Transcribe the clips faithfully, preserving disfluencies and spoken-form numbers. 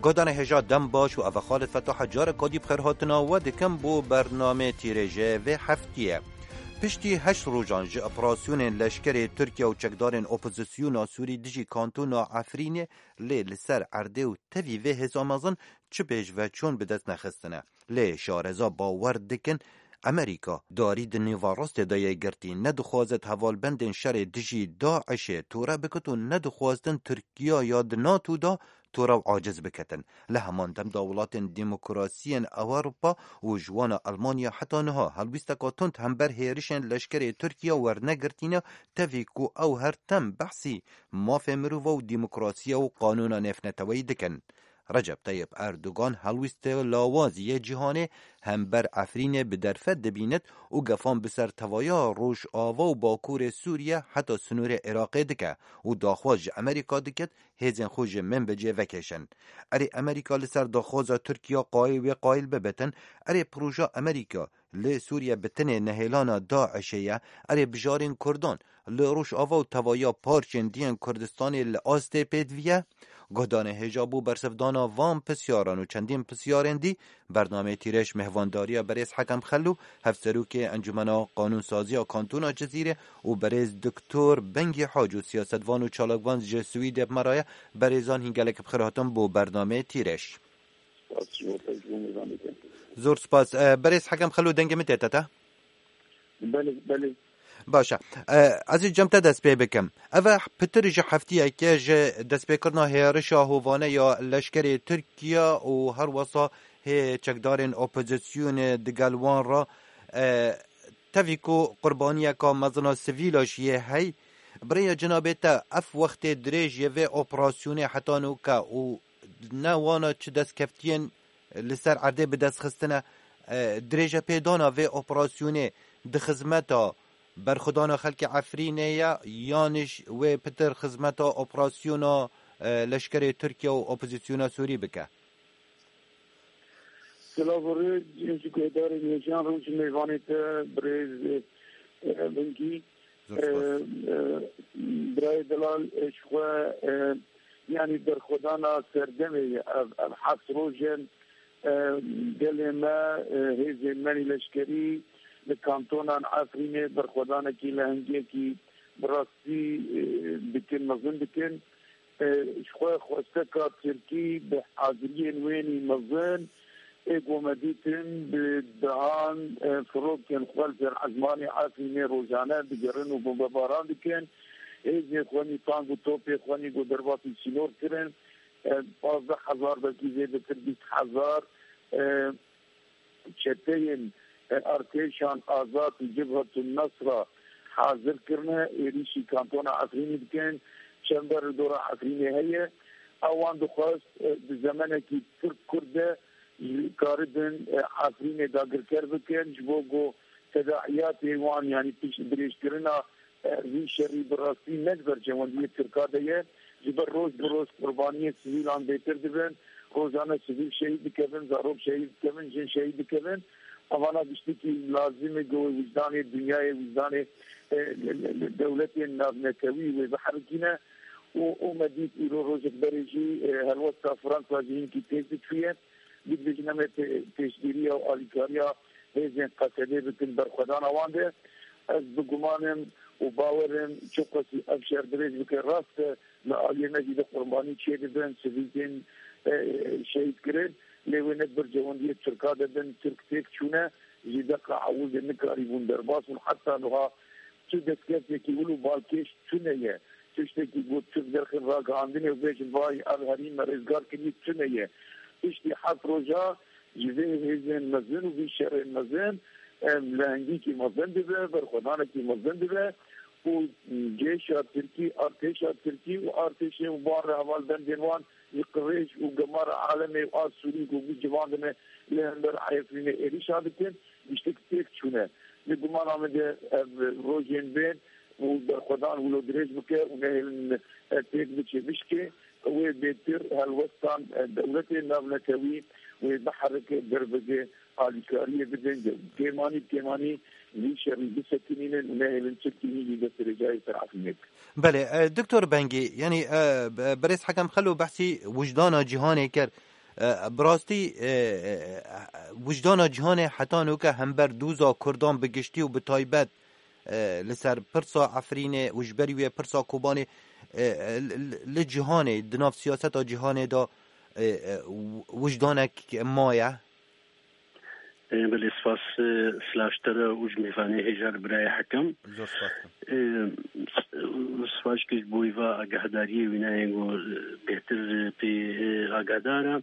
Guhdarên hêja dem baş û ev e Xalid Fetah e, careka dî bi xêrhatina we dikim bo bernameyê tîrêjê vê heftiyê. Piştî heşt rojan ji operasyonên leşkerê Tirkiye û çekdarên opozisyona Sûrî dijî kantona Efrînê lê li ser erdê û tevî vê hêza mezin çi pêşveçûn bi dest nexistine. Lê şareza bawer dikin, Amerîka darî di nêvarastê de yê girtî, nedixwazit hevalbendên şerê dijî DAIŞê tore bikit û nedixwastin Tirkiya ya di NATO de tore û aciz biketin. Li heman dem de welatên demokrasiyên Ewropa û ji wana Elmanya heta niha helwîsteka tund hember hêrişên leşkerê Tirkiye wernegirtîne, tevî ku ew her tim behsî mafê mirova û demokrasiya û qanûna nêvneteweyî dikin. Recep Tayyip Erdogan helwîstê lawazî yê cîhanê hember Efrînê bi derfet dibînit û gefan bi ser tevaya Rojava û Bakurê Sûriye heta sinûrê Iraqê dike û daxwaz ji Amerîka dikit hêzên xwe ji Minbicê vekêşin. Erê Amerîka li ser daxwaza Tirkiya qayîl wê qayîl bibitin, erê proja Amerîka li Sûriye bi tenê nehêlana DAIŞê ye, erê bijarên Kurdan li Rojava û tevaya parçên diyên Kurdistanê li astê pêdiviye? Guhdarên hêja bo bersivdana van pisyaran û çendîn pisyarên dî, bernameyê Tîrêj mêhvandariya berêz Hekem Xelû, hevserokê Encûmena Qanûnsaziya Kantona Cizîrê û berêz Doktor Bengî Hac û siyasetvan û çalakvan ji Swîdê bi me re ye. Berêzan hîn gelek bi xêr hatin bo bernameyê Tîrêj. Spas, ji bo te, ji bo mêvanê te. Zor spas. E, berêz Hekem Xelû, dengê min tê te te? Belê, belê. Baş e. E, ez ê cem te dest pê bikim. Ev e pitir ji heftiyeke ji destpêkirina hêrişa hovane ya leşkerê Tirkiye û her wesa hê çekdarên opozisyonê digel wan re, e, tevî ku qurbaniyeka mezin a sivîla jî yê hey. Bi rêya cenabê te ev wextê dirêj yê vê operasyonê heta nûke û ne wana çi destkeftiyên li ser erdê bi dest xistine, e, dirêjepêdana vê operasyonê di xizmeta berxwedana xelkê Efrînê ye, yan jî wê pitir xizmeta operasyona, e, leşkerê Tirkiye û opozisyona Sûrî bike? Silav û rêz ji guhdarên hêjan, rû ji mêvanê te birêz, e, Bingî. Zor spas. E, e, birayê delal, e, ji xwe, e, yanî berxwedana serdemê ye ev, ev heft roj in, e, gelê me, e, hêzên me nî leşkerî li kantonan Efrînê berxwedanekî lehengiyekî bi rastî, e, dikin, mezin dikin. E, ji xwe xwesteka Tirkî bi haziriyên wênî mezin, ê ku me dîtin bi dehan, e, firokên xwe li ser ezmanê Efrînê rojane digerin û bombebaran dikin. Hêzên xwe nî tank û topê xwe nî ku derbasî sînor kirin. E, pazdeh hezar, belkî zêdetir bîst hezar, e, çeteyên, e, artêşan Azad û Cibhetun Nesra hazir kirine, êrîşî kantona Efrînê dikin, çember li dora Efrînê heye. Ewan dixwest, e, di zemenekî Tirk-Kurd de karibin, e, Efrînê dagirker bikin, ji bo ku tedaiyatê wan, yanî pişt dirêjkirina e, vî şerî bi rastî ne di bercewendiyê Tirka de ye. Ji ber roj bi roj qurbaniyên sivîlan bêtir dibin. Rojane sivîl şehîd dikevin, zarok şehîd dikevin, jin şehîd dikevin. Evana giştikî lazim e ku wê wijdanê dinyayê, wijdanê, e, dewletên navnetewî wê biherikîne. Û, û me dît îro rojek berê jî, e, helwesta Fransa jî hinkî têz diçûye. Dibêjin em ê pê-, pêşgiriya û alîkariya hêzên Qesedê bikin berxwedana wan de. Ez bi guman im û bawer im çiqasî ev şer dirêj bike, rast e, li aliyê me jî de qurbanî çêdibin, sivîl tên, e, şehîd kirin, lê wê ne di bercewendiyê Tirka de bin, Tirk têk çûne, ji deqa ewil de nikarîbûn derbas bûn. Heta niha tu destkeftiyekî wilo balkêş tune ye. Tiştekî got, Tirk derxin ragihandinê û bêjin, vay, ev herî me rêzgar kiriye, tune ye. Piştî heft roja ji vê hêzên mezin û vî şerên mezin, em, lehengîkî mezin dibe, berxwedanekî mezin dibe û cêşa Tirkî, artêşa Tirkî û artêşê û wan re hevalbendên wan ji qirêj û gemara alemê û a Sûrî ku bi civan dine li hember Efrînê êrîşa dikin, giştik têk çûne. Li gumana min de ev rojên bên û berxwedan wilo dirêj bike û nehêlin, e, têk biçe bişkê, wê bêtir helwestan, e, dewletên navnetewî wê biherike derbege alîkariyê bidin. Kêmanî bi kêmanî vî şerî bisekinînin û nehêlin Tirkî hîn jî destdirêjayê ser Efrînê bikin. Belê, e, Doktor Bengî, yanî, e, be-, berêz Hekem Xelo behsî wijdana cîhanê kir. E, bi rastî, e, e, wijdana cîhanê heta nûke hember dûza Kurdan bi giştî û bi taybet, e, li ser pirsa Efrînê û ji ber wê pirsa Kobanê, e, e, li, li cîhanê, di nav siyaseta cîhanê de, e, e, wijdanek maye? E, belê, spas, e, silav ji te re û ji mêvanê hêja li birayê Hekem. Zor spas dikim. E, s-, spas ji bo vê agahdariyê wî nayê ku, e, bêhtir, e, pê, e, agahdar e.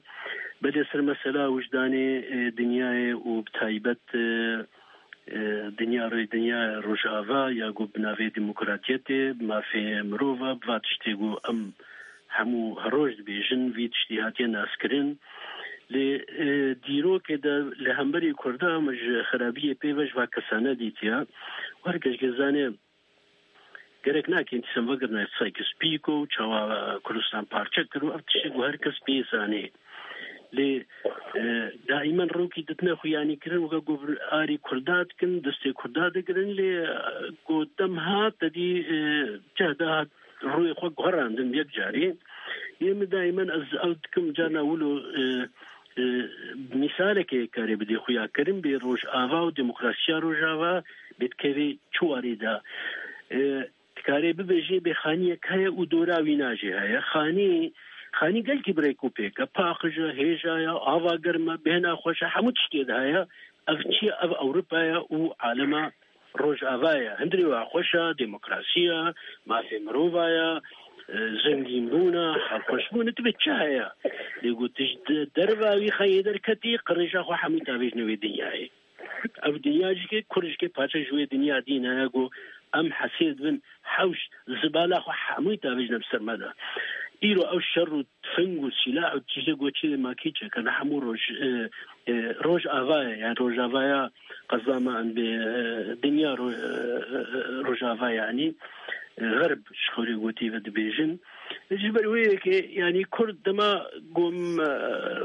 Belê, ser mesela wijdanê, e, dinyayê û bi taybet, e, e, dinya rê, dinya Rojava ya ku bi navê demokratiyetê, mafê mirova, bi va tiştê ku em hemû her roj dibêjin, vî tiştî hatiye naskirin. Lê, e, dîrokê de li hemberî Kurda me ji xerabiyê pê ve ji va kesane dîtiye. Û her kes jê zane, gerek nake dîsan vegirina Sykes-Picot û çawa Kurdistan parçe kir û ev tiştê ku her kes pê zanê. Lê, e, daimen rokî ditine xuyanîkirin, weke ku arî Kurda dikin, destê Kurda digirin, lê, e, ku dem hat, te dî, e, ceh de hat rûyê xwe guherandin yek carî. Yê min daimen ez ew dikim, carna wilo, e, e, mîsalekê karê bidê xuyakirin bê Rojava û demokrasiya Rojava bê dikevê çi warê de. E, Dikarê bibêjê bê xaniyek heye û dora wîna jî heye. Xanî, xanî gelkî bi rêk û pêk e. Paqij e, hêja ye, ava germ e, bêhna xweş e, hemû tiştê de heye. Ev çi ye? Ev Ewropa ye û alema Rojava ye. Hundirê wa xweş e, demokrasî ye, mafê mirova ye, e, zengînbûn e, halxweşbûn e, tibê çi heye? Lê ku tu ji de-, derva wî xeyê derketî, qirêja xwe hemû tavêjine wê dinyayê. Ev dinya jî ke, Kurd jî ke parçe ji wê dinya dîn heye ku em hesê dibin, hewş, zibala xwe hemûyî tavêjine bi ser me de. Îro ew şer û tifing û sîlah û tiştê ku çi makî çêkirine hemû roj, e, e, Rojava ye, yani Rojavaya qeza me em bê, e, dinya ro-, e, e, e, Rojava yani, e, xerb ji xwe rê gotî ve dibêjin. Ji ber wê yekê, yani Kurd dema ku em, e,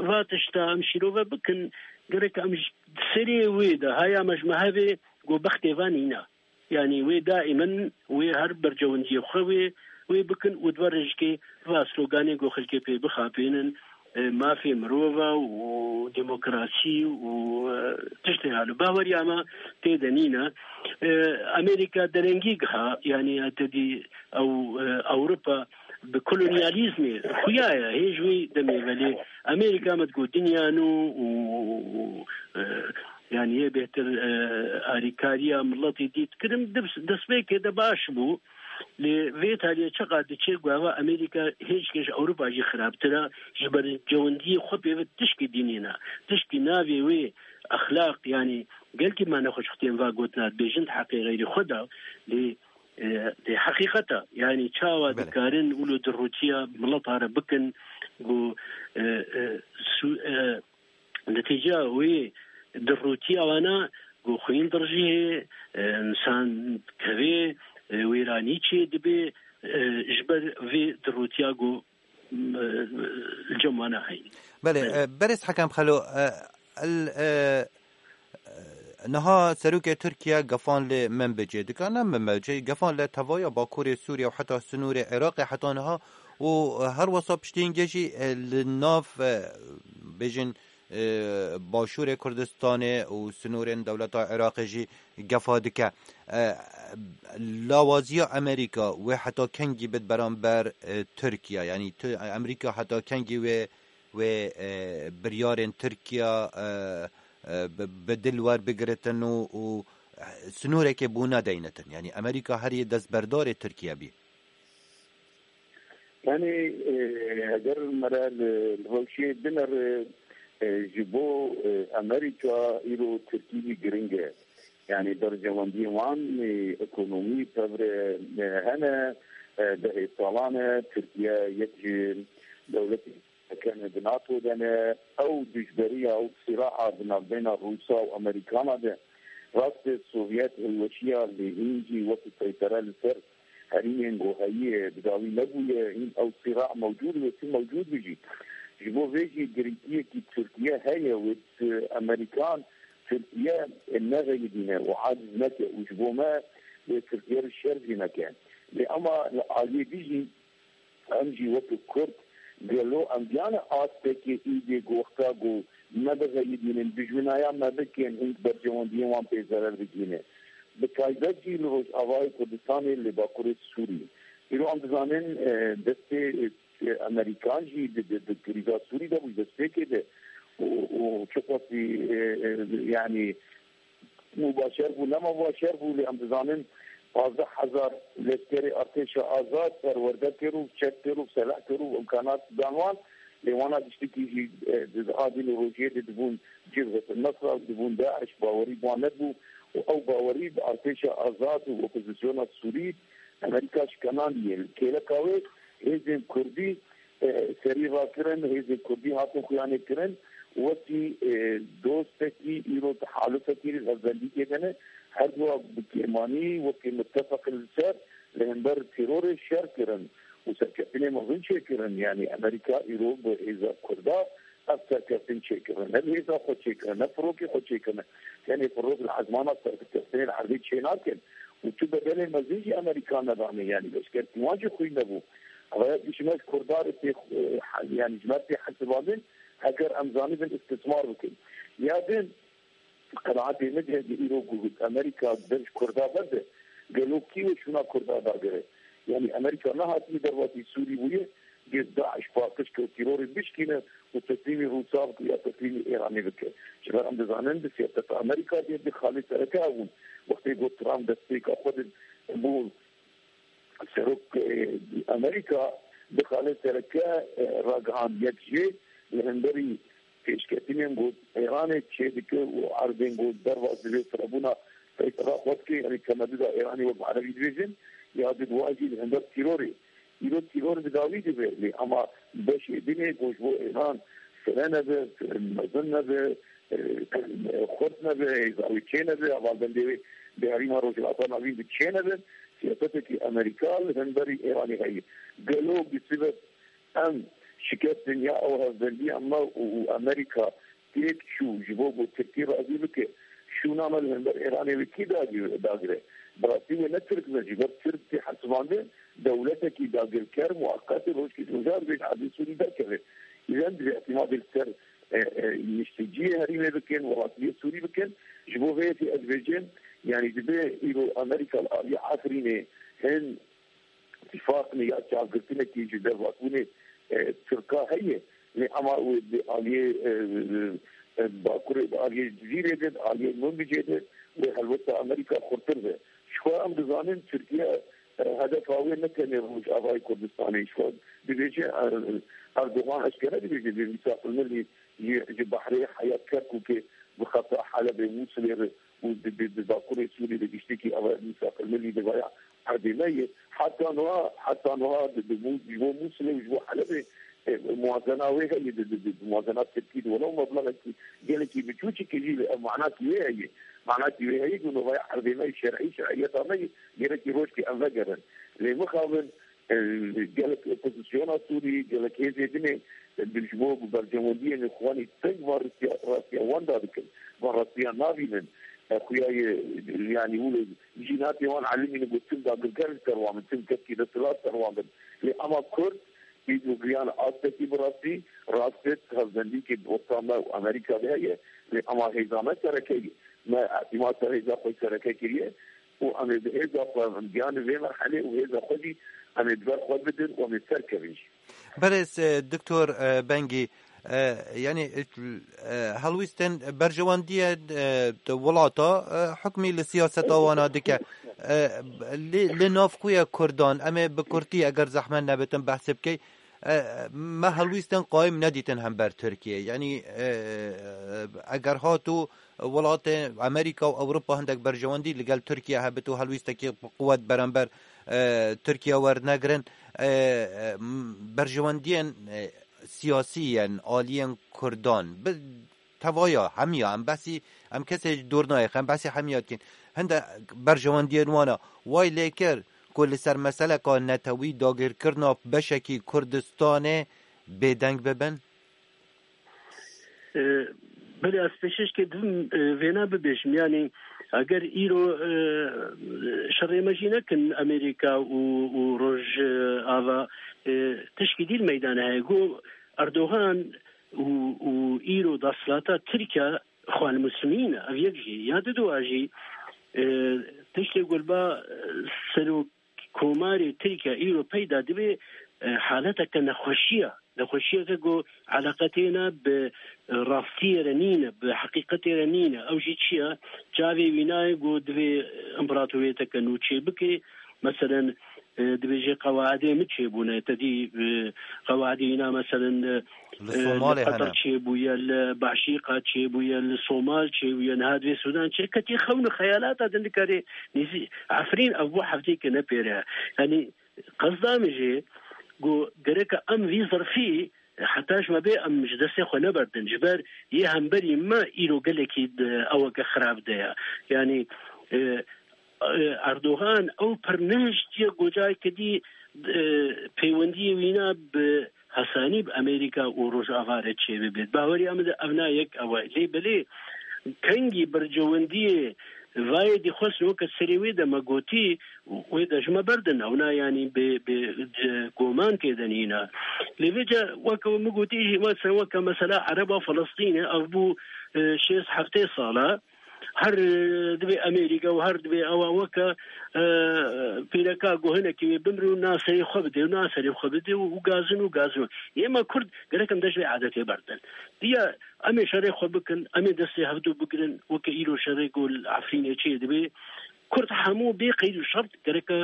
va tişta em şîrove bikin, gerek em ji serê wê de haya me ji me hevê ku bextê van nîne. Yani wê daimen wê her bercewendiyê xwe wê, wê bikin û di ber rêjikê va sloganê ku xelkê pê bixapênin, e, mafê mirova û demokrasî û, e, tiştê halo. Baweriya me tê de nîne. E, Amerîka derengî giha, yani te dî ew, e, Ewropa bi kolonyalîzmê xuya ye, hê ji wî demê ve lê Amerîka me digot dinya nû û, û, û, e, yani yê bêhtir, e, alîkariya miletê dît kirin, dibs-, destpêkê de baş bû. Lê vê taliyê çiqa diçe ku eva Amerîka hêj ke ji Ewropa jî xirabtir e, ji ber cewendiyê xwe pê ve tişkî dînî ne. Tişkî navê wê exlaq, yani gelkî me nexweş xutên va gotina dibêjin di heqê xeyrî xwe de, lê e, dê heqîqet e. Yani çawa Belê. dikarin wilo dirûtiya mileta re bikin ku, e, e, su-, e, netîca wê dirûtiya wana ku xwîn dirjî hê, e, insan kevê, e, wêranî çê dibe, e, ji ber vê dirûtiya ku, e, li cem wana heyî. Belê, Belê. e, berêz Hekem Xelo, e, el, e, Niha serokê Tirkiye gefan li Minbicê dike, ne Minbicê, gefan li tevaya bakurê Sûriye û heta sinûrê Iraqê heta niha û her wesa piştî hingê jî, e, li nav, e, bêjin, e, başûrê Kurdistanê û sinûrên dewleta Iraqê jî gefa dike. E, lawaziya Amerîka wê heta kengî bit beramber, e, Tirkiye? Yanî tu, Amerîka heta kengî wê, wê, e, biryarên Tirkiye, e, e, bi, bi dil werbigiritin û, û, e, sinûrekê bû nedeynitin. Yanî Amerîka herî destberdarê Tirkiye bî. Yani, e, eger me re li, li rewşê binere, e, ji bo, e, Amerîka îro Tirkî jî giring e. Yani berjewendiyên wan, e, ekonomî, tevre, e, hene, e, dehê salan e, Tirkiye yek ji dewletê Ken di NATO de ne, ew dijberiya û sîra'a di navbeyna Rûsa û Amerîkana de. Rast e, Sovyet hilweşiya lê hîn jî wekî seytere li ser herîmên ku heyî bi dawî nebûye, hîn ew sîra mewcûd be, tu mewcûd be jî. Ji bo vê jî girîngiyekî Tirkiye heye, wê Amerîkan Tirkiye nexeyidîne û aciz neke û ji bo me wê Tirkiye re şer jî neke. Lê ema li aliyê din jî Em jî wekî Kurd Gelo em diyane astekê îdê goxta ku me bixeyidînin, dijminaya me bikin, hîn bercewendiyên wan pê zerer bigihîne. Bi taybet jî li Rojavayê Kurdistanê, li Bakurê Sûrî. Îro em dizanin, e, destê, e, Amerîkan jî di, di, di krîza Sûrî de bû, destpêkê de û, û çiqasî, e, e, yanî, mubaşer bû, ne mubaşer bû, lê em dizanin pazdeh hezar lêskerê artêşa azad perwerde kir û çek kir û selah kir û imkanat dan wan. Lê wana tiştekî jî, e, di adîn û rojiyê de dibûn Cibhet Nesra, dibûn DAIŞ, bawerî bi wan nebû û ew bawerî bi artêşa azad û opozisyona Sûrî Amerîka şikenandiye. Kêleka wê hêzên Kurdî, e, serî rakirin, hêzên Kurdî hatin xuyanê kirin, wekî, e, dostekî îro di halifekî li hevbendîkê de ne, her duwa bi kêmanî wekî mitefeqin li ser li hember terorê şer kirin û serkeftinê mezin çêkirin. Yanî Amerîka îro bi hêza Kurda ev serkeftin çêkirin. Ne bi hêza xwe çêkirin, ne firokê xwe çêkirin. Tenê firok li ezmana serkeftinê li erdê çênakin û tu bedelê mezin jî Amerîka nedane. Yanî leşkerkî wan jî xwîn nebû. Ev ji me Kurda re tê, e, yanî ji me tê hesibandin, heger em zanibin istismar bikin. Ya din, qenaetê min heye, îro ku Amerîka dev ji Kurda berde, gelo kî wê şûna Kurda dagire? Yanî Amerîka nehatiye dervatî Sûrî bûye, gê DAIŞ paqij ke û terorê bişkîne û teslîmî Rûsa bike ya teslîmî Îranê bike. Ji ber em dizanin di siyaseta Amerîka de di xalê sereke hebûn. Wextê got Trump destpêka xwe di bû serok, e, Amerîka di xalê sereke, e, ragihand yek jê li hemberî pêşketinên ku Îranê çêdike û erdên ku derbas dibe firebûna peytera xwe dike, yanî temeduda Îranê wek Erebî dibêjin, ya di duwa jî li hember tîrorê. Îro tîror bi dawî dibe, lê ema beşê din ê ku ji bo Îran fire nebe, mezin nebe, e, xurt nebe, hêza wê çê nebe, hevalbendê wê di herêma Rojhilata Navîn de çê nebe, siyasetekî Amerîka li hemberî Îranê heye. Gelo bi sebeb em şikestin ya ew hevbendiya me û, û Amerîka têk çû ji bo ku Tirkî razî bike, şûna me li hember Îranê wê kî dagir-, dagire? Bi rastî wê ne Tirk be, ji ber Tirk tê hesibandin dewletekî dagirker, muweqet, rojkê ji rojan dibêje erdê Sûrî derkeve. Îzen divê îtimadê li ser, e, e, nişteciyê herêmê bikin, welatiyê Sûrî bikin. Ji bo vê yekê ez dibêjim, yanî dibe îro Amerîka li aliyê Efrînê hin tîfaqinê ya çavgirtinekî ji dervatbûnê, e, Tirka heye. Lê ema wê di aliyê, e, e, Bakurê, di aliyê Cizîrê de, di aliyê Minbicê de wê helwesta Amerîka xurtir be. Ji xwe em dizanin Tirkiye, e, hedefa wê ne tenê Rojavayê Kurdistanê. Ji xwe dibêje, e, Erdogan eşkere dibêje, dê mîsaqil milî ji, ji behrê heya Kerkûkê bi xeta Helebê, Mûsilê re û di, di, di Bakurê Sûrî de giştekî ava mîsaqil milî divaya erdê me ye. Heta niha, heta niha di, di, ji bo Mûsilê û ji bo Helebê, e, muwazena wê heye, di, di, di, di muwazena Tirkî de welew meblexekî gelekî biçûçikî jî li ev manakî wê heye. Manakî wê heye ku nûvaya erdê me yê şer'î, şer'iyeta me yê, gerekî rojkê em vegerin. Lê mixabin, e, gelek opozisyona Sûrî, gelek hêzê din ê, e, ji bo berjewendiyên xwanî teng van rastiya, rastiya wan dadikin, van rastiya nabînin. E, xuya ye, yanî wilo jî natê wan elimînin ku tim dagirker li ser wan bin, tim kevkî desthilat ser wan bin. Lê ema Kurd, îro giyan astekî bi rastî, rast e, hevbendîkê bi orta me û Amerîka de heye, lê ema hêza me sereke ye. Me îtîmat ser hêza xwe sereke kiriye û em ê bi hêza xwe em giyan vê merhelê û hêza xwe jî em ê di ber xwe bidin û em ê serkevin jî. Berêz, e, Doktor, e, Bengî, e, yanî, e, e, helwîstên berjewendiyê, e, di welata, e, hukmî li siyaseta wana dike. E, li, li nav xwe ye Kurdan, em ê bi kurtî eger zehmet nebitin behsê bikey, e, me helwîstên qayim nedîtin hember Tirkiye. Yanî, e, eger hat û welatê Amerîka û Ewropa hindek berjewendî li gel Tirkiye hebit û helwîstekî bi quwet beramber, e, Tirkiye wernegirin, e, e, m-, berjewendiyên, e, siyasî yên aliyên Kurdan bi tevaya hemiya, em behsî, em kesê dor nayêxin, em behsî hemiya dikin. Hinde berjewendiyên wana way lê kir ku li ser meseleka netewî dagirkirina beşekî Kurdistanê bêdeng bibin? E, belê, ez pêşkêşkê didim, e, vêne bibêjim. Yanî, Eger îro, e, şerê me jî nekin Amerîka û, û Rojava, e, tişkî dî li meydana heye. Got Erdogan û, û îro desthilatê Tirkiye Xwan Muslimîn e. Ev yek jî. Ya diduwa jî, e, tiştê ku li ba, e, serok komarê Tirkiye îro peyda dibe, e, haleteke nexweşiye. Nexweşiyeke ku eleqetê ne bi rastiyê re nîne, bi heqîqetê re nîne. Ew jî çi ye? Çavê wî nayê ku divê împaratoriyeteke nû çêbike. Meselen, e, dibêje qewaidê min çêbûne. Te dî, e, qewaidê wîna, meselen, e, Li e, Somalê li Qetar hene. Çêbûye, li Başîqa çêbûye, li Somal çêbûye, niha divê Sudan çê. Ketî xewn û xeyalata din dikarê nêzî Efrîn ev bû hefteyeke ne pêre. Yanî qesda min jê ku gereke em vî zirfî heta ji me bê em ji destê xwe neberdin. Ji ber yê hemberî me îro gelekî di eweke xirab de ye. Yanî, e, e, Erdogan ew pir nehiştiye ku careke dî, e, peywendiyê wîna bi hesanî bi Amerîka û Rojava re çêbibêt. Baweriya min de ev na yek ew e. Lê belê kengî bercewendiyê vayê dî xwest weke serê wê de me gotî, wê de ji me berdin. Ew na yanî bê, bê, e, goman tê de nîne. Lê vêca weke min gotî jî, mesela weke mesela Ereba Filistînê, ev bû, e, şêst heftê sala. Her, e, dibê Amerîka û her dibê ewa weke, e, pîreka ku hinekî wê bimre û na serê xwe bidê û na serê xwe bidê û, û gazin û gazin. Yê me Kurd gerek em dest vê adetê berdin. Diya em ê şerê xwe bikin, em ê destê hevdu bigirin, weke îro şerê ku li Efrînê çê dibê. Kurd hemû bê qeyd û şert gereke,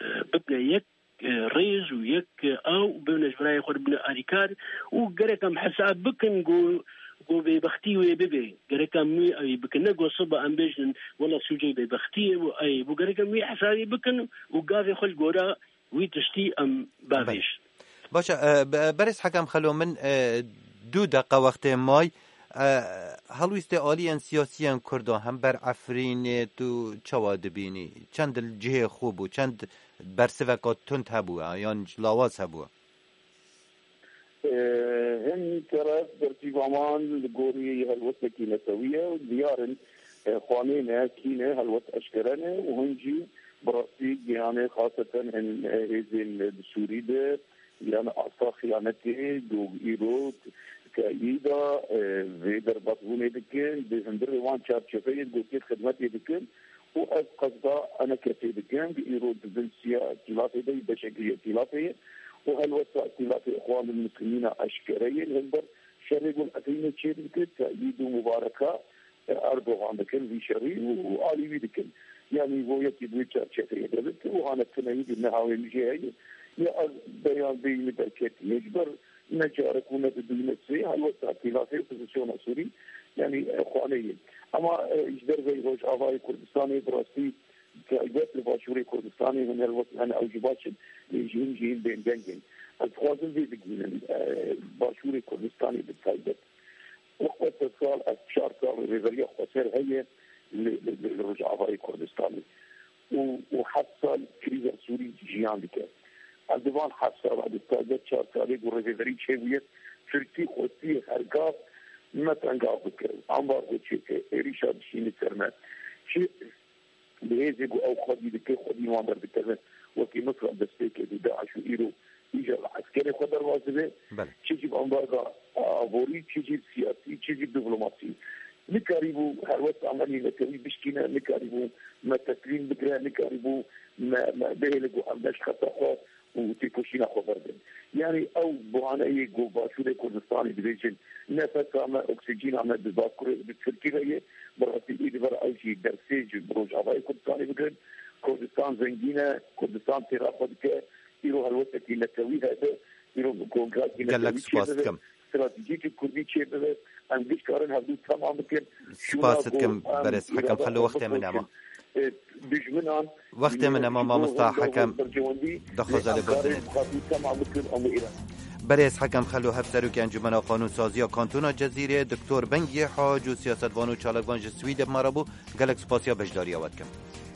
e, bibne yek, e, rêz û yek, e, aw û bibine ji birayê xwe re bibine alîkar û gerek em hesab bikin ku, ku bêbextî wê bibe. Gerek em wî, ewî bikin. Ne ku siba em bêjin, wela sûcê bêbextiyê bû, ey bû. Gerek em wî hesabê bikin û gavê xwe li gora wî tiştî em bavêjin. Baş e, e, be-, berêz Hekem Xelo, min, e, du deqa wextê may. E, helwîstê aliyên siyasiyên Kurdan hember Efrînê tu çawa dibînî? Çend li cihê xwe bû, çend bersiveka tund hebû, e, yan lawaz hebû? E, hin teref bersîva wan li gorî helwestekî netewî ye û diyar in, e, xwanê ne, kî ne, helwest eşkere ne û hin jî bi rastî gihanê xaseten hin, e, hêzên di Sûrî de, yan asa xiyanetê, ku îro te'yîda, e, vê derbasbûnê dikin, di hundirê wan çarçeveyê gotê xidmetê dikin û ez qesda ene kesê dikim, ku îro di bin siya îhtilatê de, beşekî îhtilatê ye û helwesta îhtilatê Xwandin Muslimîna eşkere ye, li hember şerê ku li Efrînê çêdibike, te'yîd û mubareka Erdogan dikin vî şerî û, û alî wî dikin. Yanî bo yekî di wê çarçeveyê de bit û hane tuneyî di nehawê min jê heye. Ya ez beyan bêyî min derketî. Ji ber ne carek û ne di dû ne sê helwesta îtîlafê opozisyona Sûrî, yanî, e, xwaneyê. Ama, e, ji derveyî Rojavayê Kurdistanê bi rastî taybet li Başûrê Kurdistanê hûn helwest hene ew jî baş in. Lê ji hin jî hin bên deng in. Ez dixwazim vê bigihînim, e, Başûrê Kurdistanê bi taybet. Wexta sed sal, ez çar sal rêveberiya xweser heye li, li, li, li Rojavayê Kurdistanê. Û, û heft sal krîza Sûrî jiyan dike. Ez di van heft sala, bi taybet çar salê ku rêveberî çêbûye, Tirkî xwestiye her gav me tengav bike, ambargo çêke, êrîşa dişîne ser me. Çi Bi hêzê ku ew xwedî dike, xwedî wan derdikevin. Wekî Misra destpêkê bû, DAIŞ û îro îcar li eskerê xwe derbas dibe. Belê. Çi jî bi ambarga aborî, çi jî siyasî, çi jî diplomasî. Nikarîbû helwesta me netewî bişkîne, nikarîbû me teslîm bikire, nikarîbû me, me bihêle ku em ne ji xeta xwe û têkoşîna xwe berdin. Yanî ew buhaneyê ku Başûrê Kurdistanê dibêjin, nefesa me, oksîjîna me di Bakurê, di Tirkî ve ye, bi rastî ê di vera ew jî dersê ji Rojavayê Kurdistanê bigirin. Kurdistan zengîn e, Kurdistan têra xwe dike, îro helwetekî netewî hebe, îro kongrakî Gelek netewî spas çêdibe. Dikim. Stratejîkî kurdî çêbibe, em giş karin hevdû temam bikin. Spas dikim, berêz Hekem Xelo, wextê min nema. Dijminan, wextê min nema, mamosta Hekem, daxwaza lê berdinê. Temam bikin, em ê Îran. Berêz Hekem Xelo, hevserokê Encûmena Qanûnsaziya Kantona Cezîrê, Doktor Bengiyê Hac û siyasetvan û çalakvan ji Swîdê bi me re bû. Gelek spasiya beşdariya we dikim.